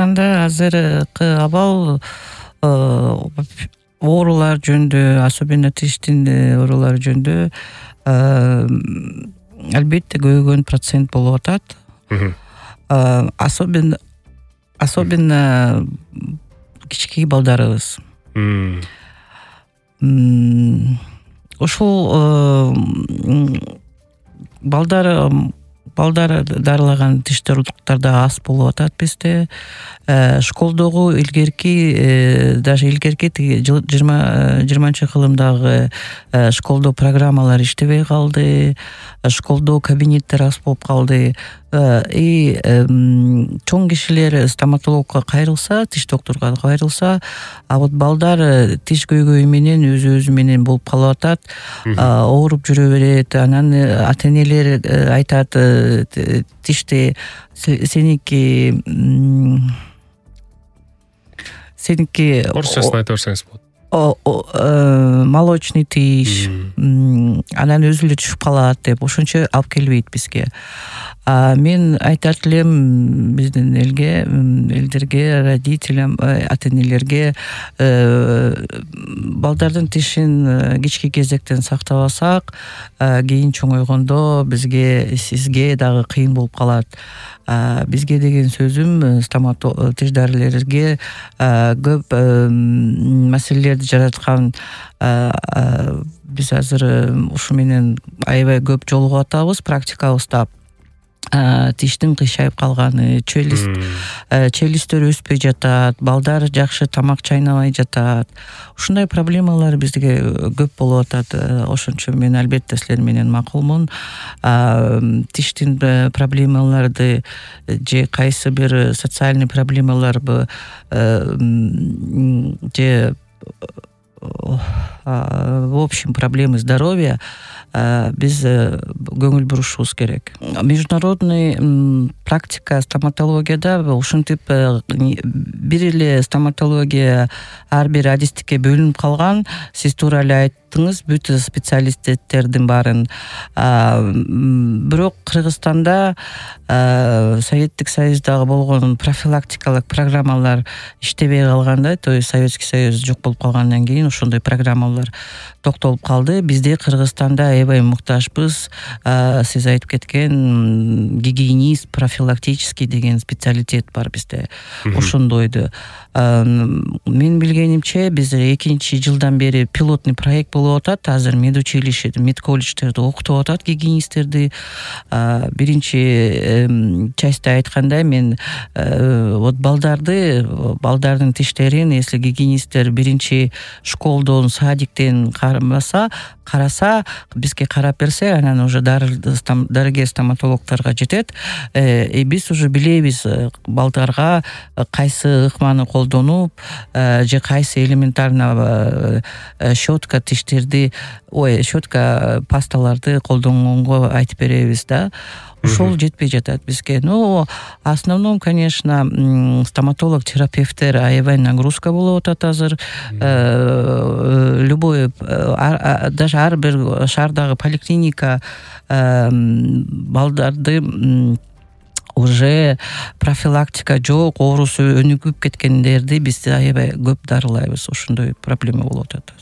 Кыргызстанда азыркы абал оорулар жөнүндө, особенно тиштин оорулары жөнүндө албетте көбөйгөн процент болуп атат. Особенно кички балдарыбыз. Ушул балдар дарылаган тиш дарылыктар да аз болуп атат бизде. Школдогу даже илгерки 20-кылымдагы школдо программалар иштебей калды. Школдо кабинеттер аз болуп калды. Чоң кишилер стоматологко кайрылса, тиш докторго кайрылса, а вот балдар тиш көйгөйү менен өзү менен болуп калып атат. Ооруп жүрө берет. Анан ата-энелер айтат, тишти сеники орусчасын айта берсеңиз болот. Молочный тиш, анан өзү эле түшүп калат деп ошончо алып келбейт бизге. Мен айтат элем биздин элдерге, родителям, ата-энелерге балдардын тишин кички кезектен сактабасак, кийин чоңойгондо сизге дагы кыйын болуп калат. Бизге деген сөзүм тиш дарылерге көп маселелерди жараткан. Биз азыр ушу менен аябай көп жолугуп атабыз практикабызда. Тиштин кыйшайып калганы, челюсттөр өспөй жатат, балдар жакшы тамак чайнабай жатат. Ушундай проблемалар бизге көп болуп атат. Ошончо мен албетте силер менен макулмун. Тиштин проблемаларды же кайсы бир социальный проблемаларбы же в общем проблемы здоровья биз көңүл бурушубуз керек. Международный практика стоматологияда ушинтип бир эле стоматология ар бир адистикке бөлүнүп калган. Сиз туура эле айттыңыз, бүт специалисттердин баарын. Бирок Кыргызстанда Советтик Союздагы болгон профилактикалык программалар иштебей калганда, то есть Советский Союз жок болуп калгандан кийин ошондой программалар токтолуп калды. Бизде Кыргызстанда аябай муктажбыз. Сиз айтып кеткен гигиенист, профилактический деген специалитет бар бизде. Ошондойду. Мен билгенимче биз 2-жылдан бери пилотный проект болуп атат. Азыр медучилище, медколледждерде окутуп атат гигиенисттерди. Биринчи частьта айткандай, мен вот балдардын тиштерин, если гигиенисттер биринчи школдон, садиктен караса, бизге карап берсе, анан уже дарыгер стоматологторго жетет. Биз уже билебиз балдарга кайсы ыкманы колдонуп, же кайсы элементарно щетка пасталарды колдонгонго айтып беребиз да. Ошол жетпей жатат бизге. Основном, конечно, стоматолог-терапевттер аябай нагрузка болуп атат азыр. Любой, даже ар бир шаардагы поликлиника балдарды уже профилактика жок, оорусу өнүгүп кеткендерди биз аябай көп дарылайбыз. Ошондой проблема болуп атат.